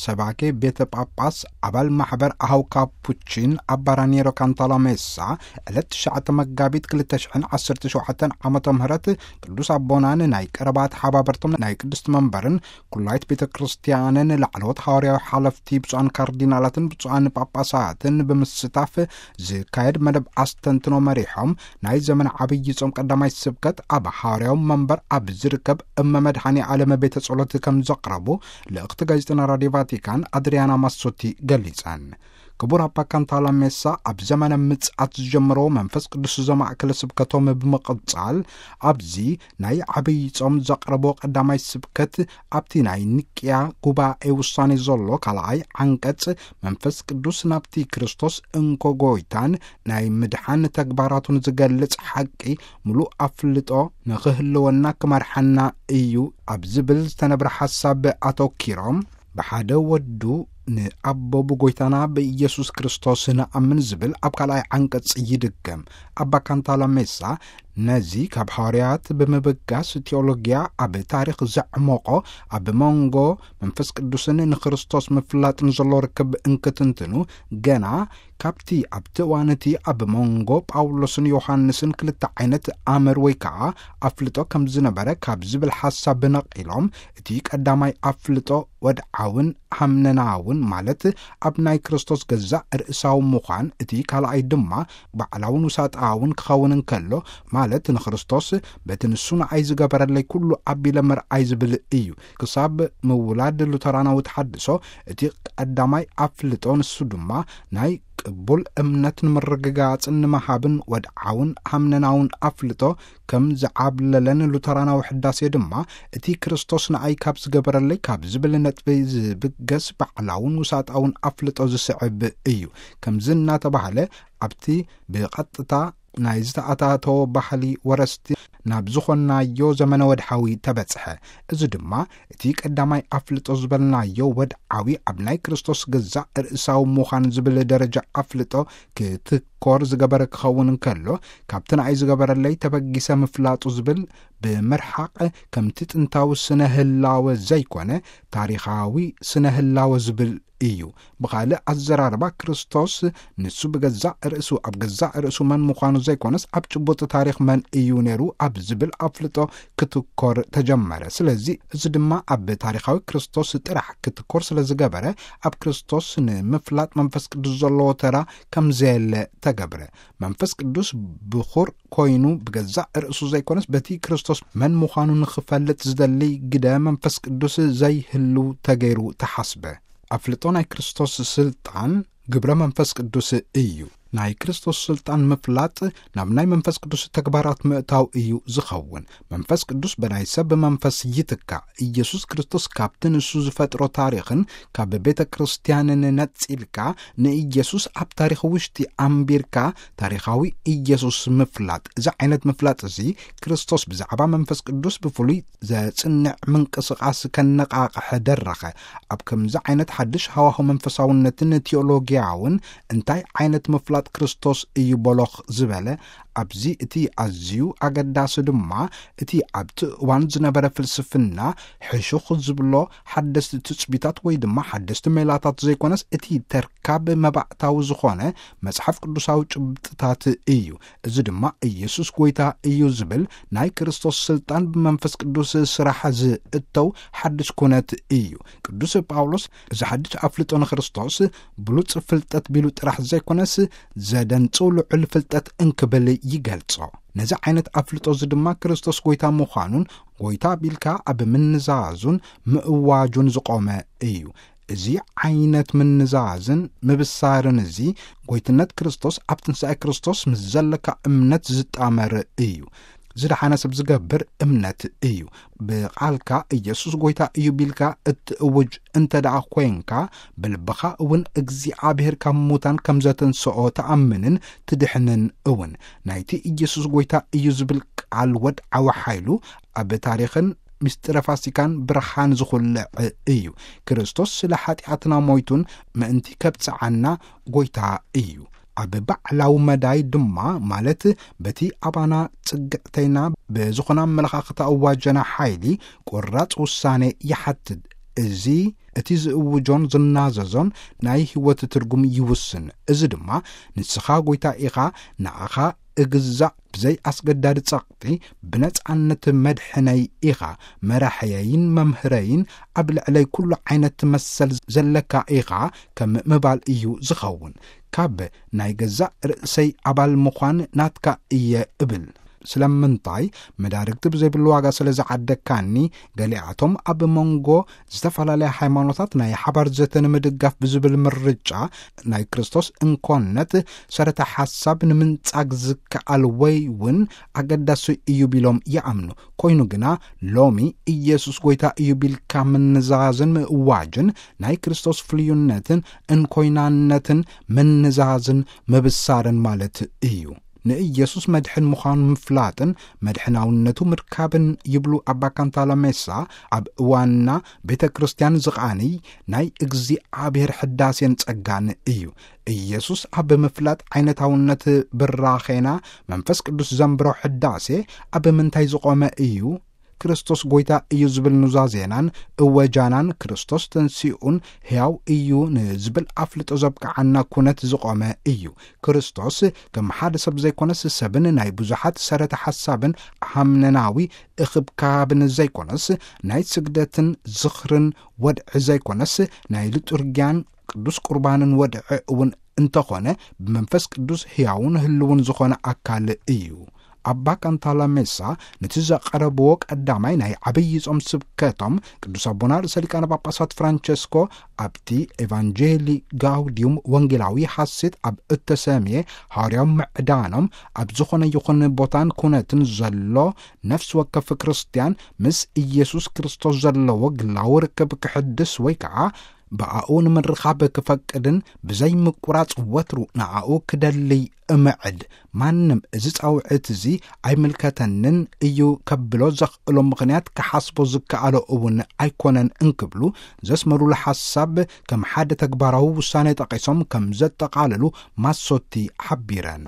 ሰባኬ ቤተ ጳጳስ፣ ኣባል ማሕበር ኣሃው ካፑቺን ኣባ ራኒየሮ ካንታላሜሳ፣ ዕለት ትሽዓተ መጋቢት ክልተ ሽሕን ዓሰርተ ሸውዓተን ዓመተ ምህረት ቅዱስ ኣቦናን ናይ ቀረባ ተሓባበርቶም ናይ ቅድስቲ መንበርን ኩላይት ቤተ ክርስቲያንን ላዕለዎት ሃዋርያዊ ሓለፍቲ ብፁዓን ካርዲናላትን ብፁዓን ጳጳሳትን ብምስታፍ ዝካየድ መደብ ኣስተንትኖ መሪሖም፣ ናይ ዘመን ዓብዪ ጾም ቀዳማይ ስብከት ኣብ ሃዋርያዊ መንበር ኣብ ዝርከብ እመ መድኃኔ ዓለም ቤተ ጸሎት ከም ዘቕረቡ ልእኽቲ ጋዜጠና ራድዮ ቫቲካን ኣድሪያና ማሶቲ ገሊጸን። ክቡር ኣባ ካንታላ ሜሳ ኣብ ዘመነ ምጽኣት ዝጀመሮ መንፈስ ቅዱስ ዘማእከለ ስብከቶም ብምቕጻል፣ ኣብዚ ናይ ዓብዪ ጾም ዘቕረቦ ቀዳማይ ስብከት፣ ኣብቲ ናይ ኒቅያ ጉባኤ ውሳኔ ዘሎ ካልኣይ ዓንቀጽ፣ መንፈስ ቅዱስ ናብቲ ክርስቶስ እንኮ ጎይታን ናይ ምድሓን ተግባራቱን ዝገልጽ ሓቂ ምሉእ ኣፍልጦ ንኽህልወና ክመርሓና እዩ ኣብ ዝብል ዝተነብረ ሓሳብ ኣተኪሮም፣ ብሓደ ወዱ ንኣቦ ብጎይታና ብኢየሱስ ክርስቶስ ንኣምን ዝብል ኣብ ካልኣይ ዓንቀጽ ይድገም። ኣባ ካንታላ ሜሳ ነዚ ካብ ሃዋርያት ብምብጋስ፣ ቴዎሎጊያ ኣብ ታሪኽ ዘዕመቖ፣ ኣብ መንጎ መንፈስ ቅዱስን ንክርስቶስ ምፍላጥን ዘሎ ርክብ እንክትንትኑ፣ ገና ካብቲ ኣብቲ እዋን እቲ ኣብ መንጎ ጳውሎስን ዮሃንስን ክልተ ዓይነት ኣምር ወይ ከዓ ኣፍልጦ ከም ዝነበረ ካብ ዝብል ሓሳብ ነቒሎም፣ እቲ ቀዳማይ ኣፍልጦ ወድዓውን ሃምነናውን፣ ማለት ኣብ ናይ ክርስቶስ ገዛእ ርእሳዊ ምዃን፣ እቲ ካልኣይ ድማ ባዕላውን ውሳጣውን ክኸውን እንከሎ፣ ማለት ንክርስቶስ በቲ ንሱ ንዓይ ዝገበረለይ ኩሉ ኣቢለ ምርኣይ ዝብል እዩ። ክሳብ ምውላድ ሉተራናዊ ተሓድሶ፣ እቲ ቀዳማይ ኣፍልጦ ንሱ ድማ ናይ ቅቡል እምነት ንምርግጋጽን ንምሃብን ወድዓውን ሃምነናውን ኣፍልጦ ከም ዝዓብለለን፣ ሉተራናዊ ሕዳሴ ድማ እቲ ክርስቶስ ንኣይ ካብ ዝገበረለይ ካብ ዝብል ነጥቢ ዝብገስ ባዕላውን ውሳጣውን ኣፍልጦ ዝስዕብ እዩ። ከምዚ እናተባህለ ኣብቲ ብቐጥታ ናይ ዝተኣታተወ ባህሊ ወረስቲ ናብ ዝኾንናዮ ዘመነ ወድሓዊ ተበጽሐ። እዚ ድማ እቲ ቀዳማይ ኣፍልጦ ዝበልናዮ ወድዓዊ ኣብ ናይ ክርስቶስ ገዛእ ርእሳዊ ምዃን ዝብል ደረጃ ኣፍልጦ ክትኮር ዝገበረ ክኸውን እንከሎ፣ ካብቲ ንኣይ ዝገበረለይ ተበጊሰ ምፍላጡ ዝብል ብምርሓቕ፣ ከምቲ ጥንታዊ ስነ ህላወ ዘይኮነ፣ ታሪኻዊ ስነ ህላወ ዝብል እዩ። ብኻልእ ኣዘራርባ፣ ክርስቶስ ንሱ ብገዛእ ርእሱ፣ ኣብ ገዛእ ርእሱ መን ምዃኑ ዘይኮነስ፣ ኣብ ጭቡጥ ታሪኽ መን እዩ ነይሩ ኣብ ዝብል ኣፍልጦ ክትኮር ተጀመረ። ስለዚ፣ እዚ ድማ ኣብ ታሪኻዊ ክርስቶስ ጥራሕ ክትኮር ስለ ዝገበረ፣ ኣብ ክርስቶስ ንምፍላጥ መንፈስ ቅዱስ ዘለዎ ተራ ከም ዘየለ ተገብረ። መንፈስ ቅዱስ ብኹር ኮይኑ ብገዛእ ርእሱ ዘይኮነስ፣ በቲ ክርስቶስ መን ምዃኑ ንኽፈልጥ ዝደሊ ግደ መንፈስ ቅዱስ ዘይህሉ ተገይሩ ተሓስበ። ኣፍልጦ ናይ ክርስቶስ ስልጣን ግብረ መንፈስ ቅዱስ እዩ። ናይ ክርስቶስ ስልጣን ምፍላጥ ናብ ናይ መንፈስ ቅዱስ ተግባራት ምእታው እዩ ዝኸውን። መንፈስ ቅዱስ ብናይ ሰብ መንፈስ ይትካእ። ኢየሱስ ክርስቶስ ካብቲ ንሱ ዝፈጥሮ ታሪኽን ካብ ቤተ ክርስቲያንን ነጺልካ፣ ንኢየሱስ ኣብ ታሪኽ ውሽጢ ኣንቢርካ፣ ታሪኻዊ ኢየሱስ ምፍላጥ። እዚ ዓይነት ምፍላጥ እዚ፣ ክርስቶስ ብዛዕባ መንፈስ ቅዱስ ብፍሉይ ዘጽንዕ ምንቅስቓስ ከነቓቕሕ ደረኸ። ኣብ ከምዚ ዓይነት ሓድሽ ሃዋሁ መንፈሳውነትን ቴዎሎጊያውን፣ እንታይ ዓይነት ምፍላጥ ክርስቶስ እዩ በሎኽ ዝበለ? ኣብዚ እቲ ኣዝዩ ኣገዳሲ ድማ፣ እቲ ኣብቲ እዋን ዝነበረ ፍልስፍና ሕሹኽ ዝብሎ ሓደስቲ ትጽቢታት ወይ ድማ ሓደስቲ ሜላታት ዘይኮነስ፣ እቲ ተርካብ መባእታዊ ዝኾነ መጽሓፍ ቅዱሳዊ ጭብጥታት እዩ። እዚ ድማ ኢየሱስ ጎይታ እዩ ዝብል ናይ ክርስቶስ ስልጣን ብመንፈስ ቅዱስ ስራሕ ዝእተው ሓድሽ ኩነት እዩ። ቅዱስ ጳውሎስ እዚ ሓድሽ ኣፍልጦ ንክርስቶስ ብሉጽ ፍልጠት ቢሉ ጥራሕ ዘይኮነስ፣ ዘደንጽው ልዑል ፍልጠት እንክብል ይገልጾ። ነዚ ዓይነት ኣፍልጦ እዚ ድማ ክርስቶስ ጎይታ ምዃኑን ጎይታ ቢልካ ኣብ ምንዛዙን ምእዋጁን ዝቖመ እዩ። እዚ ዓይነት ምንዛዝን ምብሳርን እዚ፣ ጎይትነት ክርስቶስ ኣብ ትንሳኤ ክርስቶስ ምስ ዘለካ እምነት ዝጣመር እዩ። ዝደሓነ ሰብ ዝገብር እምነት እዩ። ብቓልካ ኢየሱስ ጎይታ እዩ ቢልካ እትእውጅ እንተ ደኣ ኮይንካ፣ ብልብኻ እውን እግዚኣብሔር ካብ ሙታን ከም ዘተንስኦ ትኣምንን ትድሕንን እውን። ናይቲ ኢየሱስ ጎይታ እዩ ዝብል ቃል ወድዓዊ ሓይሉ ኣብ ታሪኽን ምስጢረ ፋሲካን ብርሃን ዝኹልዕ እዩ። ክርስቶስ ስለ ሓጢኣትና ሞይቱን ምእንቲ ከብጽዓና ጎይታ እዩ። ኣብ ባዕላዊ መዳይ ድማ፣ ማለት በቲ ኣባና ጽግዕተይና ብዝኾነ ኣመለኻኽታ እዋጀና ሓይሊ፣ ቁራጽ ውሳኔ ይሓትት። እዚ እቲ ዝእውጆን ዝናዘዞን ናይ ህይወት ትርጉም ይውስን። እዚ ድማ ንስኻ ጎይታ ኢኻ፣ ንኣኻ እግዛእ፣ ብዘይ ኣስገዳዲ ጸቕጢ ብነጻነት መድሕነይ ኢኻ፣ መራሕየይን መምህረይን፣ ኣብ ልዕለይ ኩሉ ዓይነት መሰል ዘለካ ኢኻ ከም ምባል እዩ ዝኸውን። ካብ ናይ ገዛእ ርእሰይ ኣባል ምዃን ናትካ እየ እብል። ስለምንታይ? መዳርግቲ ብዘይብሉ ዋጋ ስለ ዝዓደካኒ። ገሊኣቶም ኣብ መንጎ ዝተፈላለያ ሃይማኖታት ናይ ሓባር ዘተ ንምድጋፍ ብዝብል ምርጫ ናይ ክርስቶስ እንኮነት ሰረተ ሓሳብ ንምንጻግ ዝከኣል ወይ እውን ኣገዳሲ እዩ ቢሎም ይኣምኑ። ኮይኑ ግና ሎሚ ኢየሱስ ጎይታ እዩ ቢልካ ምንዛዝን ምእዋጅን ናይ ክርስቶስ ፍልዩነትን እንኮይናነትን ምንዛዝን ምብሳርን ማለት እዩ። ንኢየሱስ መድሕን ምዃኑ ምፍላጥን መድሕናውነቱ ምርካብን ይብሉ ኣባ ካንታላሜሳ፣ ኣብ እዋንና ቤተ ክርስቲያን ዝቓንይ ናይ እግዚኣብሔር ሕዳሴን ጸጋን እዩ። ኢየሱስ ኣብ ምፍላጥ ዓይነታውነት ብራኼና መንፈስ ቅዱስ ዘንብሮ ሕዳሴ ኣብ ምንታይ ዝቖመ እዩ? ክርስቶስ ጎይታ እዩ ዝብል ኑዛዜናን እወጃናን ክርስቶስ ተንሲኡን ሕያው እዩ ንዝብል ኣፍልጦ ዘብቅዓና ኩነት ዝቖመ እዩ። ክርስቶስ ከም ሓደ ሰብ ዘይኮነስ ሰብን ናይ ብዙሓት ሰረተ ሓሳብን ሃምነናዊ እኽብካብን ዘይኮነስ ናይ ስግደትን ዝኽርን ወድዒ ዘይኮነስ ናይ ሊጡርጊያን ቅዱስ ቁርባንን ወድዒ እውን እንተኾነ ብመንፈስ ቅዱስ ሕያውን ህልውን ዝኾነ ኣካል እዩ። ኣባ ካንታላሜሳ ነቲ ዘቐረብዎ ቀዳማይ ናይ ዓብዪ ጾም ስብከቶም ቅዱስ ኣቦና ርእሰ ሊቃነ ጳጳሳት ፍራንቸስኮ ኣብቲ ኤቫንጀሊ ጋውዲዩም ወንጌላዊ ሐሴት ኣብ እተሰምየ ሐዋርያዊ ምዕዳኖም ኣብ ዝኾነ ይኹን ቦታን ኩነትን ዘሎ ነፍሲ ወከፍ ክርስቲያን ምስ ኢየሱስ ክርስቶስ ዘለዎ ግላዊ ርክብ ክሕድስ ወይ ከዓ ብኣኡ ንምርኻብ ክፈቅድን ብዘይ ምቁራጽ ወትሩ ንኣኡ ክደልይ እምዕድ። ማንም እዚ ጻውዒት እዚ ኣይምልከተንን እዩ ከብሎ ዘኽእሎ ምኽንያት ክሓስቦ ዝከኣሎ እውን ኣይኮነን እንክብሉ ዘስመሩሉ ሓሳብ ከም ሓደ ተግባራዊ ውሳኔ ጠቒሶም ከም ዘጠቓልሉ ማሶቲ ሓቢረን።